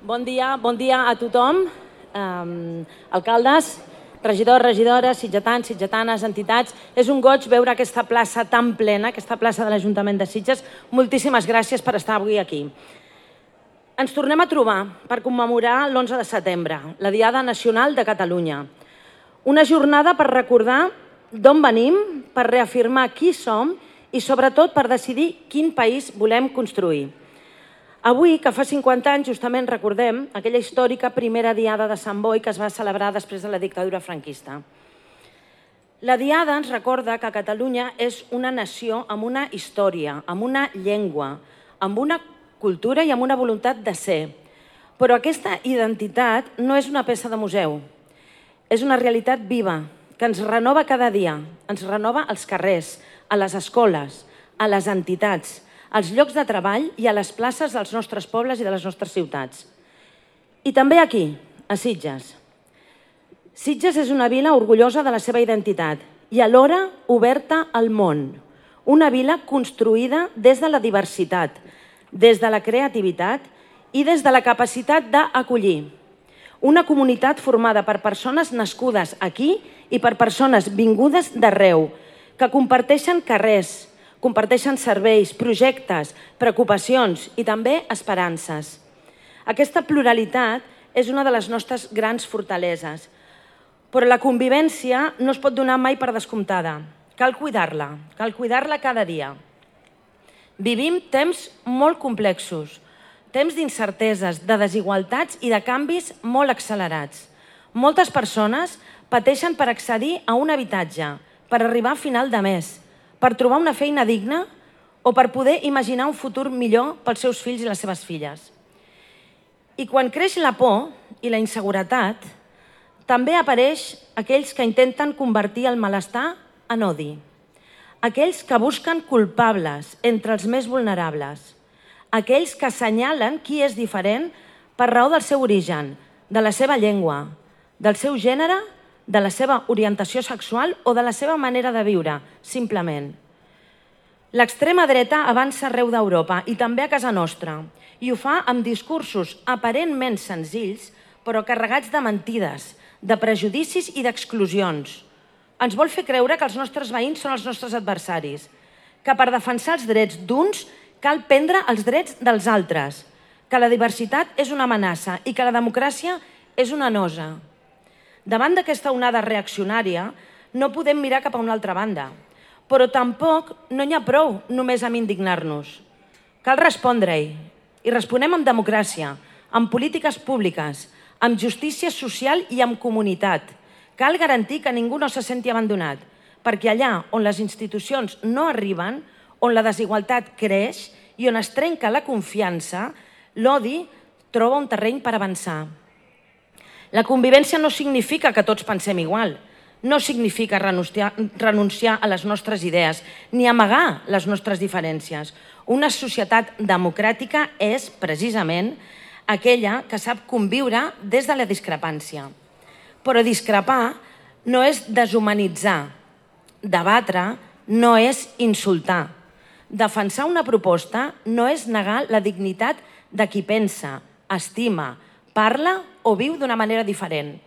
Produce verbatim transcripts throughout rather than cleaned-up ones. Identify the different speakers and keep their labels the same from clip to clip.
Speaker 1: Bon dia, bon dia a tothom, um, alcaldes, regidors, regidores, sitgetans, sitgetanes, entitats. És un goig veure aquesta plaça tan plena, aquesta plaça de l'Ajuntament de Sitges. Moltíssimes gràcies per estar avui aquí. Ens tornem a trobar per commemorar l'onze de setembre, la Diada Nacional de Catalunya. Una jornada per recordar d'on venim, per reafirmar qui som i sobretot per decidir quin país volem construir. Avui, que fa cinquanta anys, justament recordem aquella històrica primera Diada de Sant Boi que es va celebrar després de la dictadura franquista. La Diada ens recorda que Catalunya és una nació amb una història, amb una llengua, amb una cultura i amb una voluntat de ser. Però aquesta identitat no és una peça de museu, és una realitat viva que ens renova cada dia, ens renova als carrers, a les escoles, a les entitats, als llocs de treball i a les places dels nostres pobles i de les nostres ciutats. I també aquí, a Sitges. Sitges és una vila orgullosa de la seva identitat i alhora oberta al món. Una vila construïda des de la diversitat, des de la creativitat i des de la capacitat d'acollir. Una comunitat formada per persones nascudes aquí i per persones vingudes d'arreu, que comparteixen carrers, comparteixen serveis, projectes, preocupacions i també esperances. Aquesta pluralitat és una de les nostres grans fortaleses, però la convivència no es pot donar mai per descomptada. Cal cuidar-la, cal cuidar-la cada dia. Vivim temps molt complexos, temps d'incerteses, de desigualtats i de canvis molt accelerats. Moltes persones pateixen per accedir a un habitatge, per arribar a final de mes, per trobar una feina digna o per poder imaginar un futur millor pels seus fills i les seves filles. I quan creix la por i la inseguretat, també apareix aquells que intenten convertir el malestar en odi, aquells que busquen culpables entre els més vulnerables, aquells que assenyalen qui és diferent per raó del seu origen, de la seva llengua, del seu gènere, de la seva orientació sexual o de la seva manera de viure, simplement. L'extrema dreta avança arreu d'Europa i també a casa nostra, i ho fa amb discursos aparentment senzills, però carregats de mentides, de prejudicis i d'exclusions. Ens vol fer creure que els nostres veïns són els nostres adversaris, que per defensar els drets d'uns cal prendre els drets dels altres, que la diversitat és una amenaça i que la democràcia és una nosa. Davant d'aquesta onada reaccionària, no podem mirar cap a una altra banda, però tampoc no n'hi ha prou només amb indignar-nos. Cal respondre-hi, i responem amb democràcia, amb polítiques públiques, amb justícia social i amb comunitat. Cal garantir que ningú no se senti abandonat, perquè allà on les institucions no arriben, on la desigualtat creix i on es trenca la confiança, l'odi troba un terreny per avançar. La convivència no significa que tots pensem igual, no significa renunciar, renunciar a les nostres idees ni amagar les nostres diferències. Una societat democràtica és, precisament, aquella que sap conviure des de la discrepància. Però discrepar no és deshumanitzar, debatre no és insultar. Defensar una proposta no és negar la dignitat de qui pensa, estima, parla o viu d'una manera diferent.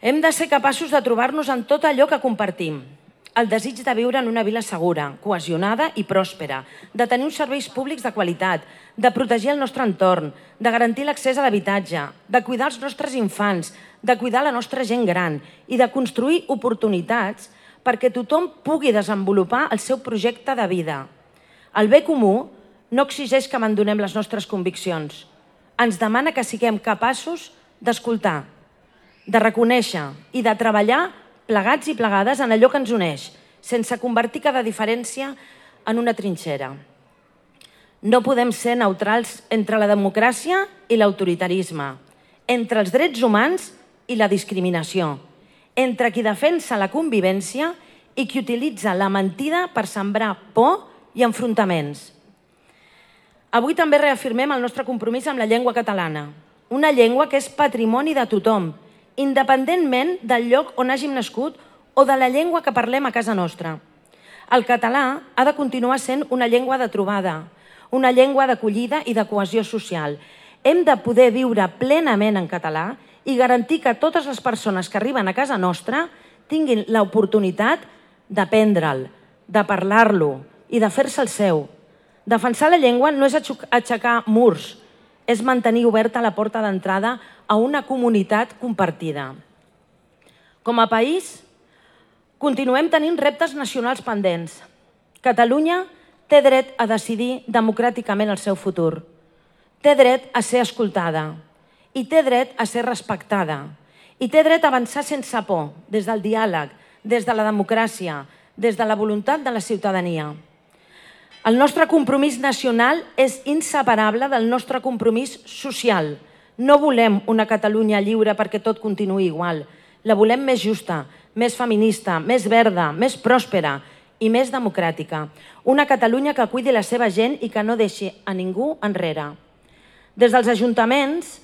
Speaker 1: Hem de ser capaços de trobar-nos en tot allò que compartim. El desig de viure en una vila segura, cohesionada i pròspera, de tenir uns serveis públics de qualitat, de protegir el nostre entorn, de garantir l'accés a l'habitatge, de cuidar els nostres infants, de cuidar la nostra gent gran i de construir oportunitats perquè tothom pugui desenvolupar el seu projecte de vida. El bé comú no exigeix que abandonem les nostres conviccions. Ens demana que siguem capaços d'escoltar, de reconèixer i de treballar plegats i plegades en allò que ens uneix, sense convertir cada diferència en una trinxera. No podem ser neutrals entre la democràcia i l'autoritarisme, entre els drets humans i la discriminació, entre qui defensa la convivència i qui utilitza la mentida per sembrar por i enfrontaments. Avui també reafirmem el nostre compromís amb la llengua catalana, una llengua que és patrimoni de tothom, independentment del lloc on hàgim nascut o de la llengua que parlem a casa nostra. El català ha de continuar sent una llengua de trobada, una llengua d'acollida i de cohesió social. Hem de poder viure plenament en català i garantir que totes les persones que arriben a casa nostra tinguin l'oportunitat d'aprendre'l, de parlar-lo i de fer-se el seu. Defensar la llengua no és aixecar murs, és mantenir oberta la porta d'entrada a una comunitat compartida. Com a país, continuem tenint reptes nacionals pendents. Catalunya té dret a decidir democràticament el seu futur. Té dret a ser escoltada i té dret a ser respectada. I té dret a avançar sense por, des del diàleg, des de la democràcia, des de la voluntat de la ciutadania. El nostre compromís nacional és inseparable del nostre compromís social. No volem una Catalunya lliure perquè tot continuï igual. La volem més justa, més feminista, més verda, més pròspera i més democràtica. Una Catalunya que cuidi la seva gent i que no deixi a ningú enrere. Des dels ajuntaments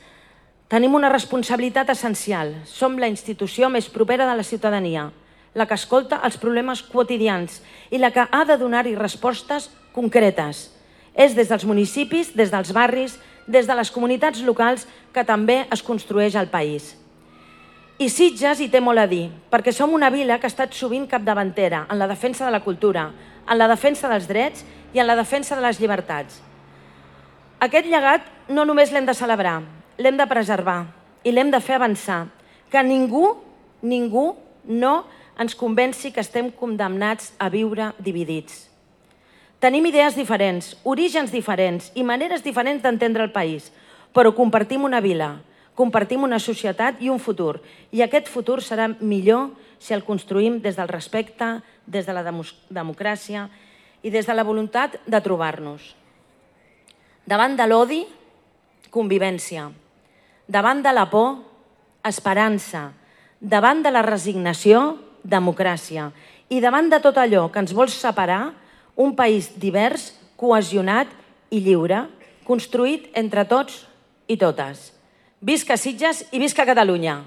Speaker 1: tenim una responsabilitat essencial. Som la institució més propera de la ciutadania, la que escolta els problemes quotidians i la que ha de donar-hi respostes concretes. És des dels municipis, des dels barris, des de les comunitats locals que també es construeix el país. I Sitges hi té molt a dir, perquè som una vila que ha estat sovint capdavantera en la defensa de la cultura, en la defensa dels drets i en la defensa de les llibertats. Aquest llegat no només l'hem de celebrar, l'hem de preservar i l'hem de fer avançar. Que ningú, ningú no ens convenci que estem condemnats a viure dividits. Tenim idees diferents, orígens diferents i maneres diferents d'entendre el país, però compartim una vila, compartim una societat i un futur. I aquest futur serà millor si el construïm des del respecte, des de la democràcia i des de la voluntat de trobar-nos. Davant de l'odi, convivència. Davant de la por, esperança. Davant de la resignació, democràcia. I davant de tot allò que ens vol separar, un país divers, cohesionat i lliure, construït entre tots i totes. Visca Sitges i visca Catalunya!